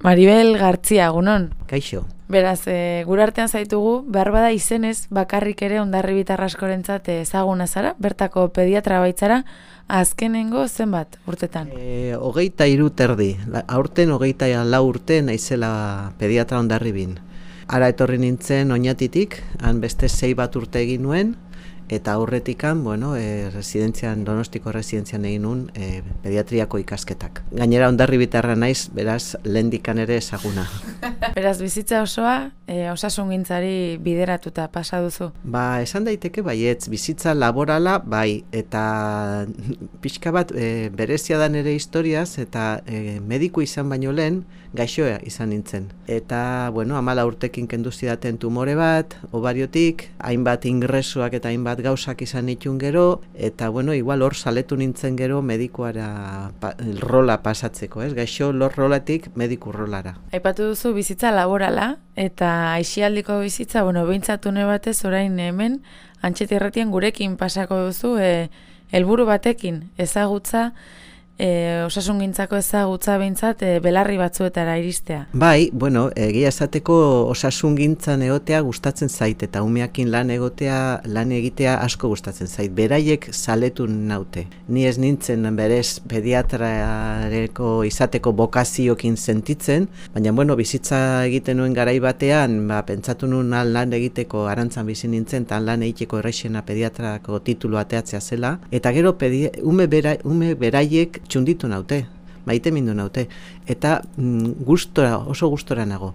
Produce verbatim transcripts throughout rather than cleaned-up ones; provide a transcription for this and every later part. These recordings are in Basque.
Maribel Gartzia, egunon. Kaixo. Beraz, e, gure artean zaitugu, behar bada izenez, bakarrik ere Hondarribitar askorentzat ezaguna zara, bertako pediatra baitzara, azkenengo zenbat urtetan? E, hogeita hiru terdi, aurten hogeita lau urte naizela pediatra Hondarribin. Ara etorri nintzen Oñatitik, han beste sei bat urte egin nuen, eta aurretikan, bueno, e, residentzian, Donostiko residentzian egin nuen e, pediatriako ikasketak. Gainera Hondarribitarra naiz, beraz, lehendikan ere ezaguna. Beraz, bizitza osoa, e, osasungintzari bideratuta pasa duzu? Ba, esan daiteke baietz, bizitza laborala bai, eta pixka bat e, berezia da nire historiaz, eta e, mediku izan baino lehen, gaixoa izan nintzen. Eta, bueno, amala urtekin kendu zidaten tumore bat, ovariotik, hainbat ingresuak eta hainbat gauzak izan nituen gero, eta, bueno, igual hor saletu nintzen gero medikuara pa, rola pasatzeko, ez? Gaixo lor rolatik mediku rolara. Aipatu duzu bizitza laborala, eta aisialdiko bizitza, bueno, behintzatune batez orain hemen, Antxeti Erratian gurekin pasako duzu, e, helburu batekin, ezagutza, E, osasungintzako ezagutza behintzat e, belarri batzuetara iristea. Bai, bueno, egia esateko osasungintzan egotea gustatzen zait, eta umeakin lan egotea, lan egitea asko gustatzen zait. Beraiek saletu naute. Ni ez nintzen berez pediatrareko izateko bokaziokin sentitzen, baina, bueno, bizitza egiten nuen garai batean, ba, pentsatu nuen lan egiteko arantzan bizi nintzen, eta lan egiteko errexena pediatrako titulu ateatzea zela, eta gero pedi, ume, bera, ume beraiek txunditu naute, maite mindu naute, eta mm, gustora, oso gustora nago.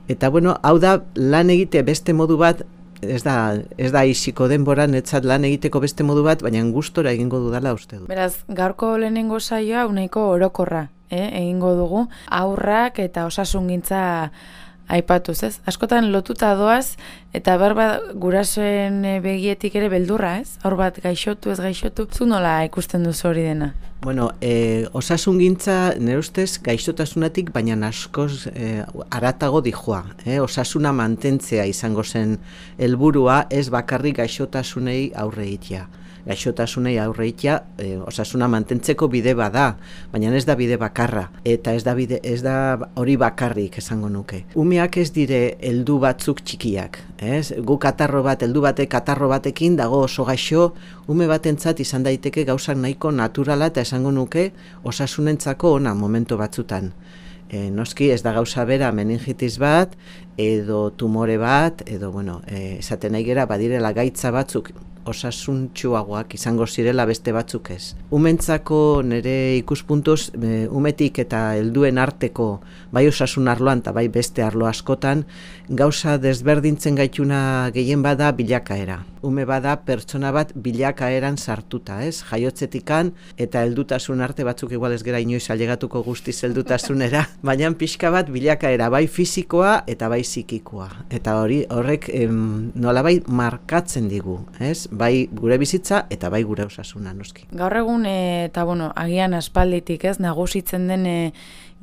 Eta bueno, hau da lan egite beste modu bat, ez da, ez da isiko denboran, etzat lan egiteko beste modu bat, baina gustora egingo dudala uste du. Beraz, gaurko lehenengo saioa uneiko orokorra, eh, egingo dugu, aurrak eta osasungintza aipatuz, ez? Askotan lotuta doaz, eta berba gurasoen begietik ere beldurra, ez? Hor bat gaixotu, ez gaixotu, zu nola ikusten duzu hori dena? Bueno, eh, osasungintza nire ustez gaixotasunatik, baina askoz eh, aratago dijoa. Eh? Osasuna mantentzea izango zen helburua, ez bakarrik gaixotasunei aurre egitea. Gaixotasunei aurre egitea, e, osasuna mantentzeko bide bada, baina ez da bide bakarra, eta ez da bide, ez da hori bakarrik esango nuke. Umeak ez dire heldu batzuk txikiak, ez? Gu katarro bat, heldu batek katarro batekin dago oso gaixo, ume batentzat izan daiteke gauzak nahiko naturala eta esango nuke osasunentzako ona momentu batzutan. E, noski ez da gauza bera meningitis bat, edo tumore bat, edo, bueno, e, esaten nahi gera badirela gaitza batzuk osasuntsuagoak izango zirela beste batzuk ez. Umentzako nire ikuspuntuz, e, umetik eta helduen arteko, bai osasun arloan eta bai beste arlo askotan, gauza desberdintzen gaituna gehien bada bilakaera. Ume bada pertsona bat bilakaeran sartuta, ez? Jaiotzetikan eta heldutasun arte batzuk igual ez gera inoiz ailegatuko guztiz heldutasunera, baina pixka bat bilakaera bai fisikoa eta bai psikikoa. Eta hori horrek em, nolabait markatzen digu, ez? Bai gure bizitza eta bai gure osasuna noski. Gaur egun e, eta bueno, agian aspalditik, ez, nagusitzen den e,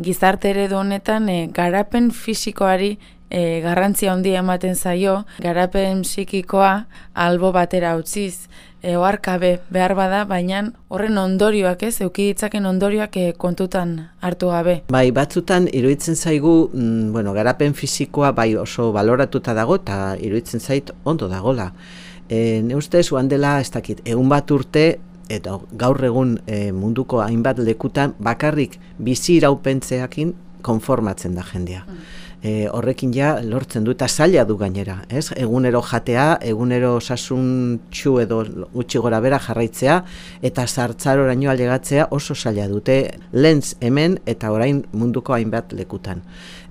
gizarte eredu honetan e, garapen fisikoari e, garrantzia handia ematen zaio, garapen psikikoa albo batera utziz, e, oharkabe behar bada, baina horren ondorioak, ez, eduki ditzaken ondorioak e, kontutan hartu gabe. Bai, batzutan iruditzen zaigu, mm, bueno, garapen fisikoa bai oso baloratuta dago eta iruditzen zait ondo dagola. E, ne ustez, oan dela, ez dakit, egun bat urte, eta gaur egun e, munduko hainbat lekutan, bakarrik bizi iraupentzeakin konformatzen da jendea. Mm. E, horrekin ja lortzen du, eta zaila du gainera, ez? Egunero jatea, egunero osasuntsu edo gutxi gora bera jarraitzea, eta zartzaroraino ailegatzea oso zaila dute lentz hemen eta orain munduko hainbat lekutan.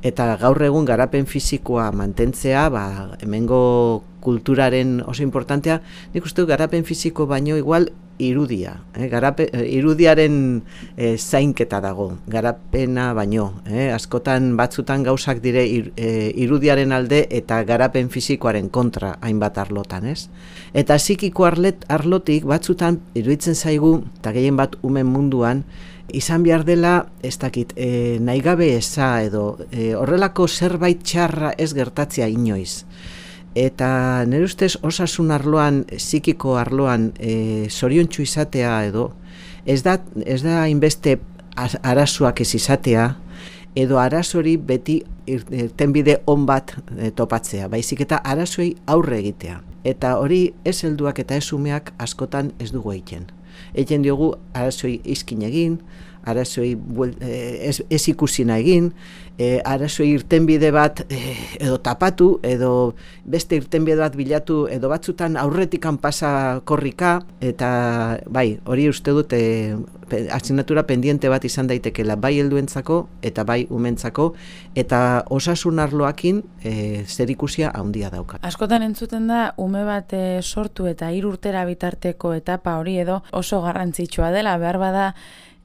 Eta gaur egun garapen fisikoa mantentzea, ba, hemengo kulturaren oso importantea, nik uste du garapen fisiko baino igual irudia, eh? Garape, irudiaren eh, zainketa dago, garapena baino, eh? Askotan batzutan gauzak dire ir, eh, irudiaren alde eta garapen fisikoaren kontra hainbat arlotan, ez? Eta psikiko arlet, arlotik batzutan iruditzen zaigu, eta gehien bat umen munduan, izan behar dela, ez dakit, e, nahigabe eza edo e, horrelako zerbait txarra ez gertatzea inoiz. Eta nire ustez osasun arloan, psikiko arloan e, zoriontsu izatea edo, ez da, ez da hainbeste arazoak ez izatea, edo arazori beti irtenbide on bat e, topatzea, baizik eta arazoei aurre egitea. Eta hori ez helduak eta ez umeak askotan ez dugu egiten. Egiten diogu arazoi izkin egin, arazoi ez, ez ikusina egin, e, arazoi irtenbide bat e, edo tapatu, edo beste irtenbide bat bilatu, edo batzutan aurretikan pasa korrika, eta bai, hori uste dut e, asignatura pendiente bat izan daitekela, bai helduentzako eta bai umentzako, eta osasun arloakin e, zer ikusia handia dauka. Askotan entzuten da, ume bat e, sortu eta hiru urtera bitarteko etapa hori edo oso garrantzitsua dela, behar bada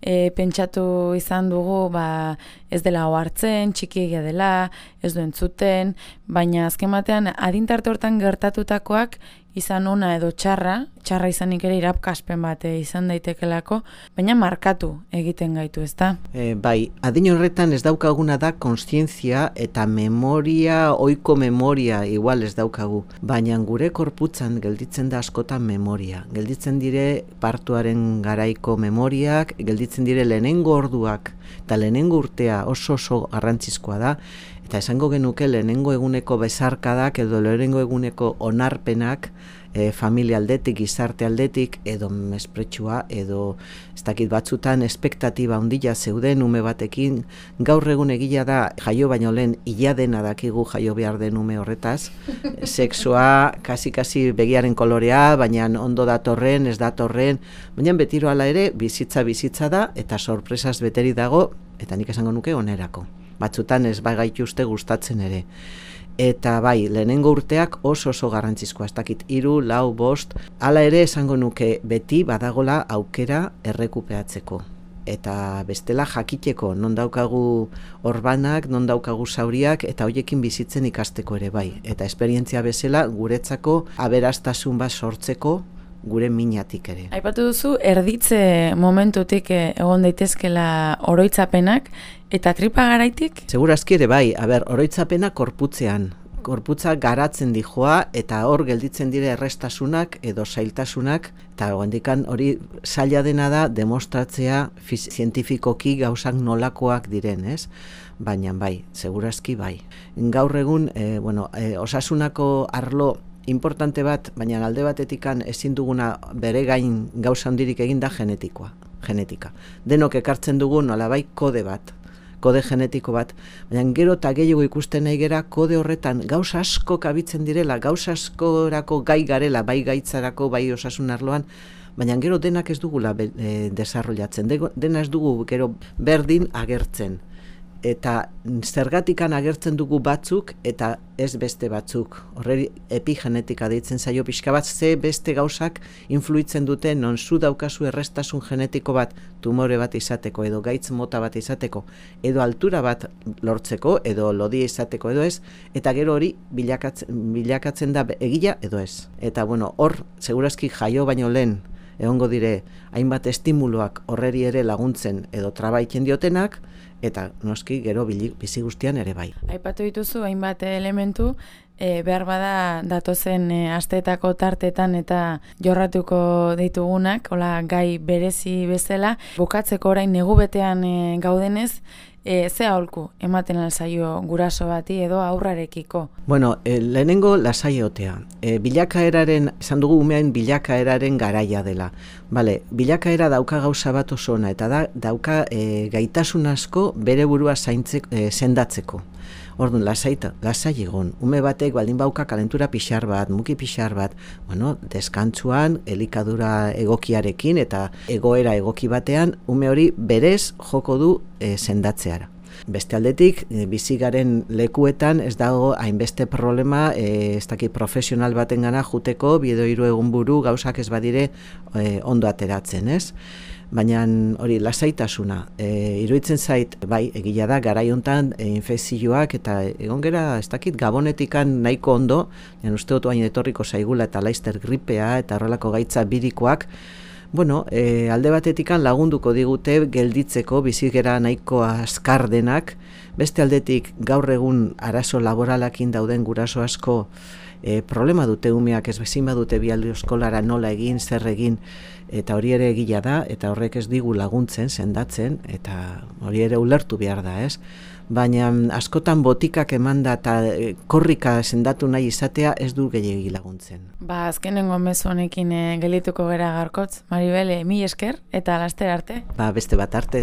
E, pentsatu izan dugu ba, ez dela ohartzen, txikiegia dela, ez du entzuten, baina azken batean adintarte hortan gertatutakoak izan ona edo txarra, txarra izanik ere irapkaspen bat izan daitekelako, baina markatu egiten gaitu, ezta? E, bai, adin horretan ez daukaguna da kontzientzia eta memoria, ohiko memoria igual ez daukagu, baina gure korputzan gelditzen da askotan memoria, gelditzen dire partuaren garaiko memoriak, gelditzen dire lehenengo orduak, eta lehenengo urtea oso oso garrantzizkoa da, eta esango genuke lehenengo eguneko bezarkadak edo lehenengo eguneko onarpenak e, familia aldetik, gizarte aldetik, edo mespretsua, edo ez dakit batzutan espektatiba handia zeuden ume batekin, gaur egun egia da jaio baino lehen ila dena dakigu jaio behar den ume horretaz, sexua, kasi-kasi begiaren kolorea, baina ondo datorren, ez datorren, baina betiro hala ere, bizitza bizitza da, eta sorpresaz beteri dago, eta nik esango nuke onerako. Batzutan ez bai gaitu uste gustatzen ere. Eta bai, lehenengo urteak oso oso garrantzizkoa, ez dakit, hiru, lau, bost, hala ere esango nuke beti badagola aukera errekupeatzeko. Eta bestela jakiteko, non daukagu orbanak, non daukagu zauriak, eta hoiekin bizitzen ikasteko ere bai. Eta esperientzia bezala guretzako aberastasun bat sortzeko, gure minatik ere. Aipatu duzu, erditze momentutik egon daitezkela oroitzapenak, eta tripa garaitik? Segurazki ere bai, a ber, oroitzapena korputzean. Korputza garatzen dijoa, eta hor gelditzen dire errestasunak edo zailtasunak, eta handikan hori zaila dena da demostratzea zientifikoki gauzak nolakoak diren, ez? Baina bai, segurazki bai. Gaur egun, e, bueno, e, osasunako arlo importante bat, baina alde batetikan ezin duguna bere gain gauza handirik egin da genetikoa, genetika. Denok ekartzen dugu nolabai kode bat, kode genetiko bat, baina gero eta gehiago ikusten nahi gera kode horretan gauza asko kabitzen direla, gauza askorako gai garela, bai gaitzarako, bai osasun arloan, baina gero denak ez dugula e, desarrollatzen, dena ez dugu gero berdin agertzen. Eta zergatikan agertzen dugu batzuk eta ez beste batzuk. Horreri epigenetika deitzen zaio pixka bat, ze beste gauzak influitzen dute non zu daukazu errestasun genetiko bat tumore bat izateko edo gaitz mota bat izateko edo altura bat lortzeko edo lodia izateko edo ez, eta gero hori bilakatzen, bilakatzen da egia edo ez. Eta bueno, hor segurazki jaio baino lehen egongo dire hainbat estimuloak horreri ere laguntzen edo trabaiten diotenak, eta noski gero bizi guztian ere bai. Aipatu dituzu hainbat elementu, e, behar bada datozen e, asteetako tartetan eta jorratuko ditugunak, hola gai berezi bezala, bukatzeko orain negu betean e, gaudenez, E, ze aholku ematen alzaio guraso bati edo aurrarekiko? Bueno, e, lehenengo lasaiotea. E, bilakaeraren, esan dugu umean bilakaeraren garaia dela. Bale, bilakaera dauka gauza bat oso ona, eta da, dauka e, gaitasun asko bere burua zaintzeko, e, sendatzeko. Orduan, lasaita, lasai egon. Ume batek baldin bauka kalentura pixar bat, muki pixar bat, bueno, deskantzuan, elikadura egokiarekin eta egoera egoki batean, ume hori berez joko du e, sendatzeara. Beste aldetik, e, bizigaren lekuetan ez dago hainbeste problema, e, ez dakit profesional baten gana juteko, biedo hiru egun buru gauzak ez badire e, ondo ateratzen, ez? Baina hori lasaitasuna, e, iruditzen zait, bai, egila da, garai hontan e, infekzioak eta egon gera, ez dakit, gabonetikan nahiko ondo, jan uste dut baina etorriko zaigula eta laizter gripea eta horrelako gaitza birikoak, bueno, e, alde batetikan lagunduko digute gelditzeko bizigera nahiko azkar denak, beste aldetik gaur egun arazo laboralakin dauden guraso asko e, problema dute umeak ez bezin badute bialdi eskolara nola egin, zer egin, eta hori ere egila da, eta horrek ez digu laguntzen, sendatzen, eta hori ere ulertu behar da, ez? baina askotan botikak emanda eta korrika sendatu nahi izatea ez du gehiegi laguntzen. Ba, azkenengo mezu honekin e, gelituko gera garkotz. Maribel, mi esker eta laster arte. Ba, beste bat arte.